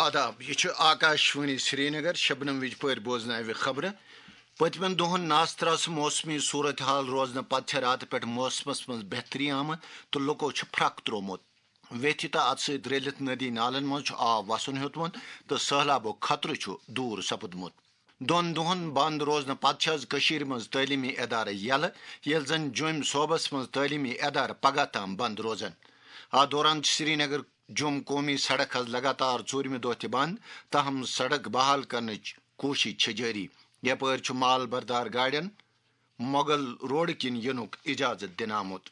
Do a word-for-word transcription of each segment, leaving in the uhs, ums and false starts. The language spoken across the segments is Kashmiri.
آداب، یہِ چھُ آکاشوانی سرینگر۔ شبنم وِجہِ پٲٹھۍ بوزناوِ خبرٕ۔ پٔتمٮ۪ن دۄہَن ناستراسہٕ موسمی صورت حال روزنہٕ پتہٕ چھےٚ راتہٕ پٮ۪ٹھ موسمَس منٛز بہتری آمٕژ تہٕ لُکو چھُ پھرٛکھ ترٛوومُت۔ ویتھِ تہٕ اَتھ سۭتۍ رٔلِتھ ندی نالَن منٛز چھُ آب وَسُن ہیوٚتمُت تہٕ سٔہلابُک خطرٕ چھُ دوٗر سپُدمُت۔ دۄن دۄہَن بنٛد روزنہٕ پتہٕ چھِ آز کٔشیٖرِ منٛز تعلیٖمی ادارٕ یَلہٕ، ییٚلہِ زَن جوٚمۍ صوبَس منٛز تعلیٖمی ادارٕ پگاہ تام بنٛد روزَن۔ اَتھ دوران چھِ سرینگر جوٚم قومی سڑک حظ لگاتار ژوٗرمہِ دۄہ تہِ بنٛد، تاہم سڑک بحال کرنٕچ کوٗشش چھِ جٲری۔ یپٲرۍ چھُ مال بردار گاڑٮ۪ن مغل روڈٕ کِنۍ یِنُک اجازت دِنہٕ آمُت۔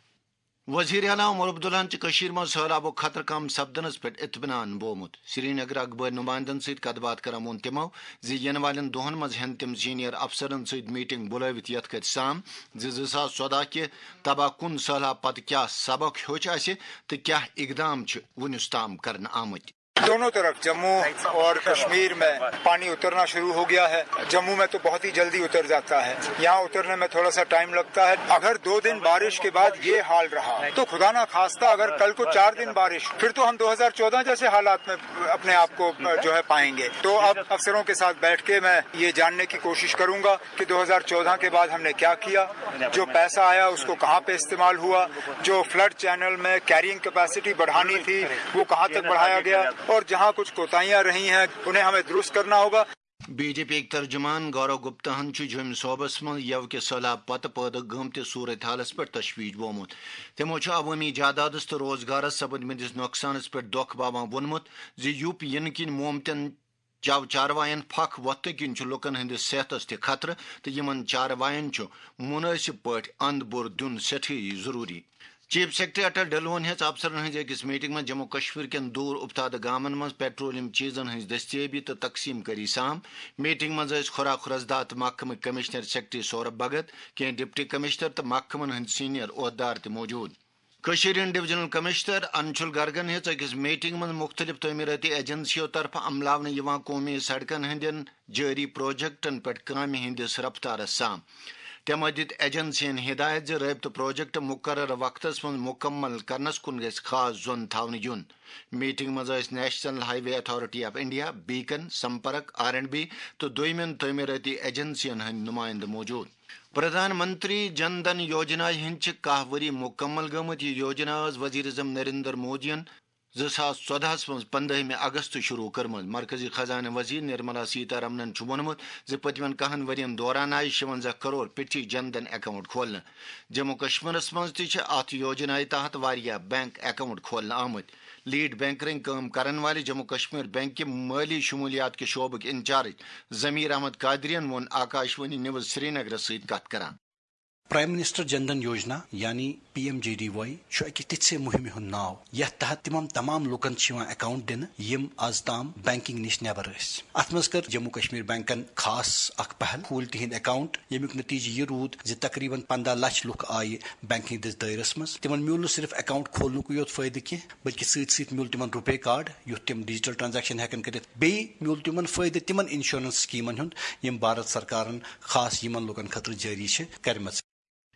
وزیر اعلیٰ عمر عبداللہن چھِ کٔشیٖرِ منٛز سٔہلابُک خطرٕ کم سپدنس پٮ۪ٹھ اطمینان بومُت۔ سرینگر اخبٲرۍ نُمایندن سۭتۍ کتھ باتھ کران ووٚن تِمو زِ یِنہٕ والٮ۪ن دۄہن منٛز ہٮ۪ن تِم سینئر افسرن سۭتۍ میٹنگ بُلٲوِتھ یتھ کتھِ سام زِ زٕ ساس ژۄدہ کہِ تباہ کُن سٔہلاب پتہٕ کیاہ سبق ہیوٚچھ اسہِ تہٕ کیاہ اقدام چھِ وُنیُس تام کرنہٕ آمٕتۍ۔ दोनों तरफ जम्मू और कश्मीर में पानी उतरना शुरू हो गया है। जम्मू में तो बहुत ही जल्दी उतर जाता है, यहाँ उतरने में थोड़ा सा टाइम लगता है। अगर दो दिन बारिश के बाद ये हाल रहा तो खुदा ना खास्ता अगर कल को चार दिन बारिश, फिर तो हम दो हज़ार चौदह जैसे हालात में अपने आप को जो है पाएंगे। तो अब अफसरों के साथ बैठ के मैं ये जानने की कोशिश करूंगा कि दो हज़ार चौदह के बाद हमने क्या किया, जो पैसा आया उसको कहाँ पे इस्तेमाल हुआ, जो फ्लड चैनल में कैरिंग कैपेसिटी बढ़ानी थी वो कहाँ तक बढ़ाया गया और जहाँ कुछ कोताहियाँ रही हैं उन्हें हमें दुरुस्त करना होगा। بی جے پی یٕکۍ ترجمان گورو گپتا ہن چھُ جوٚمۍ صوبس منٛز یوٕ کہِ سٔہلاب پتہٕ پٲدٕ گٔمتِس صورت حالس پٮ۪ٹھ تشویش بومُت۔ تِمو چھُ عوٲمی جادادس تہٕ روزگارس سپدمٕتِس نۄقصانس پٮ۪ٹھ دۄکھ باوان ووٚنمُت زِ یوٚپ یِنہٕ کِنۍ مومتن چو چاروایَن پھکھ وۄتھنہٕ کِنۍ چھُ لوٗکَن ہٕنٛدِس صحتَس تہِ خطرٕ تہٕ یِمَن چاروایَن چھُ مُنٲسِب پٲٹھۍ اَنٛد بُر دیُن سٮ۪ٹھٕے ضروٗری۔ چیف سیکرٹری اٹل ڈھلوَن ہیٚژ افسرَن ہٕنٛزِ أکِس میٹنگ منٛز جموں کشمیر کٮ۪ن دوٗر اُفتادٕ گامَن منٛز پیٹرولیم چیٖزَن ہٕنٛز دٔستیٲبی تہٕ تقسیٖم کٲری سام۔ میٹنگ منٛز ٲسۍ خورا خرزدہ تہٕ محکمٕکۍ کمشنر سیکرٹری سورب بھگت، کینٛہہ ڈپٹی کمشنر تہٕ محکمَن ہٕنٛدۍ سینئر عہدٕدار تہِ موجود۔ کٔشیٖرِ ہٕنٛدۍ ڈویژنل کمشنر انشول گرگن ہیٚژ أکِس میٹنگ منٛز مُختٔلِف تعمیٖرٲتی ایجنسیو طرفہٕ عملاونہٕ یِوان قومی سڑکن ہٕنٛدٮ۪ن جٲری پروجیکٹن پٮ۪ٹھ کامہِ ہٕنٛدِس رفتارس سام۔ تِمو دِتۍ ایجنسین ہدایت زِ رٲبطہٕ پروجیکٹ مقررٕ وقتس منٛز مُکمل کرنس کُن گژھِ خاص زون تھاونہٕ یُن۔ میٹنگ منٛز ٲسۍ National Highway Authority of India, Beacon, Sampark, R and B تہٕ دوٚیمٮ۪ن تعمیٖرٲتی ایجنسین ہٕنٛدۍ نُمایندٕ موجود۔ پردھان منتری جن دھن یوجنا ہٕنٛدۍ چھِ کاہ ؤری مُکمل گٔمٕتۍ۔ یہِ یوجنا ٲس وزیر اعظم نریندر مودیَن زٕ ساس ژۄدہَس منٛز پنٛدہمہِ اگست شروع کٔرمٕژ۔ مرکزی خزانہٕ وزیر نرملا سیتارمنَن چھُ ووٚنمُت زِ پٔتمٮ۪ن کَہَن ؤرین دوران آیہِ شُوَنزاہ کرور پِٹھی جن دھن اکاؤنٹ کھولنہٕ۔ جموں کشمیرَس منٛز تہِ چھِ اَتھ یوجنایہِ تحت واریاہ بینک اکاؤنٹ کھولنہٕ آمٕتۍ۔ لیڈ بینکرٕنۍ کٲم کرن والہِ جموں کشمیر بینک کہِ مٲلی شمولیات کہِ شعبٕکۍ انچارج ضمیر احمد قادرین ووٚن آکاشوانی نیوز سرینگرس سۭتۍ کتھ کران۔ پرائم منسٹر جن دھن یوجنا یعنی P M J D Y چھُ اکہِ تِژھِ مُہِمہِ ہُنٛد ناو یتھ تحت تِمن تمام لوٗکن چھِ یِوان اکاؤنٹ دِنہٕ یِم از تام بینکنگ نِش نٮ۪بر ٲسۍ۔ اتھ منٛز کٔر جموں کشمیر بینکن خاص اکھ پہل، کھوٗلۍ تِہنٛدۍ اکاؤنٹ، ییٚمیُک نتیجہٕ یہِ روٗد زِ تقریباً پنٛداہ لچھ لُکھ آیہِ بینکنگ دِس دٲیرس منٛز۔ تِمن میوٗل نہٕ صرف اکاؤنٹ کھولنُکُے یوت فٲیدٕ کینٛہہ بلکہِ سۭتۍ سۭتۍ میوٗل تِمن روپے کارڈ یُتھ تِم ڈیجیٹل ٹرانزیکشن ہٮ۪کن کٔرِتھ۔ بیٚیہِ میوٗل تِمن فٲیدٕ تِمن انشورنس سکیمن ہُنٛد یِم بھارت سرکارن خاص یِمن لوٗکن خٲطرٕ جٲری چھِ کٔرمٕژ۔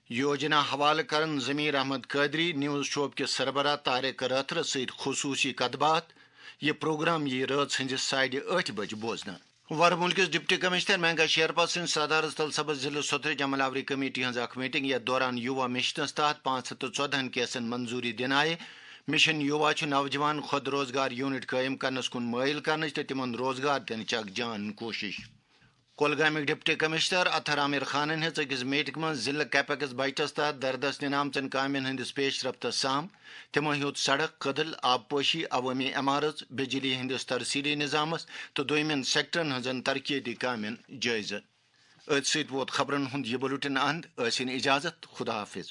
یوجنا حوالہٕ کرن ضمیر احمد قادری، نیوز شعبہٕ کِس سربراہ طارق رٲتھرس سۭتۍ خصوٗصی کتھ باتھ۔ یہِ پروگرام یِیہِ رٲژ ہٕنٛزِ ساڑِ ٲٹھِ بجہِ بوزنہٕ۔ ورمُل کِس ڈپٹی کمشنر مینگا شیرپا سٕنٛدِ صدارت تل سپز ضلعہٕ سوتھرٕچ عمل آوری کمیٹی ہٕنٛز اکھ میٹنگ، یتھ دوران یووا مشنس تحت پانٛژھ ہتھ تہٕ ژۄدہن کیسن منظوری دِنہٕ آیہِ۔ مشن یووا چھُ نوجوان خود روزگار یونٹ قٲیِم کرنس کُن مٲیِل کرنٕچ تہٕ تِمن روزگار دِنٕچ اکھ جان کوٗشش۔ کۄلگامٕکۍ ڈپٹی کمشنر اطہر عامر خانن ہیٚژ أکِس میٹنگ منٛز ضلعہٕ کیپیکس بجٹس تحت دردس نِنہٕ آمژن کامٮ۪ن ہٕنٛدِس پیش رفتس سام۔ تِمو ہیوٚت سڑک، کدٕل، آبپاشی، عوٲمی عمارژ، بجلی ہٕنٛدِس ترسیلی نظامس تہٕ دوٚیمٮ۪ن سیکٹرن ہٕنٛزن ترقیتی کامٮ۪ن جٲیزٕ۔ أتھۍ سۭتۍ ووت خبرن ہُنٛد یہِ بُلٹن اند۔ ٲسِن اجازت، خدا حافظ۔